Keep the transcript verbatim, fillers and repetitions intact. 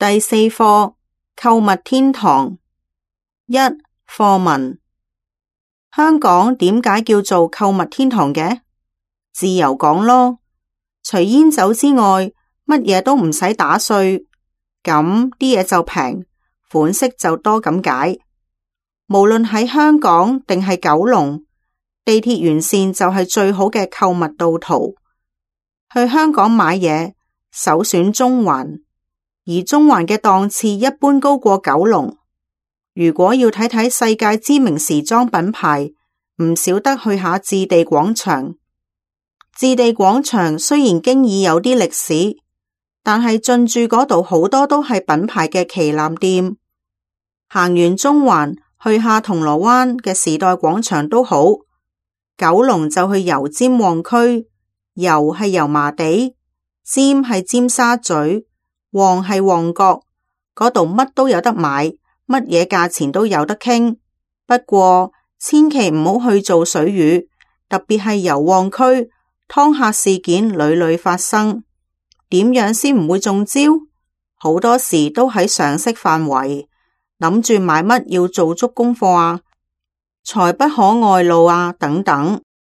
第四課購物天堂。一、課文。香港點解叫做購物天堂嘅？自由講咯，除煙酒之外，乜嘢都唔使打稅，咁啲嘢就平，款式就多咁解。無論喺香港定係九龍，地鐵沿線就係最好嘅購物道途。去香港買嘢，首選中環。而中環嘅檔次一般高過九龍。如果要睇睇世界知名時裝品牌，唔少得去下置地廣場。置地廣場雖然經已有啲歷史，但係進駐嗰度好多都係品牌嘅旗艦店。行完中環，去下銅鑼灣嘅時代廣場都好。九龍就去油尖旺區，油係油麻地，尖係尖沙咀。旺係旺角，嗰度乜都有得買，乜嘢價錢都有得傾。不過千祈唔好去做水魚，特別係油旺區，劏客事件屢屢發生。點樣先唔會中招？好多時都喺常識範圍，諗住買乜要做足功課啊，財不可外露啊等等。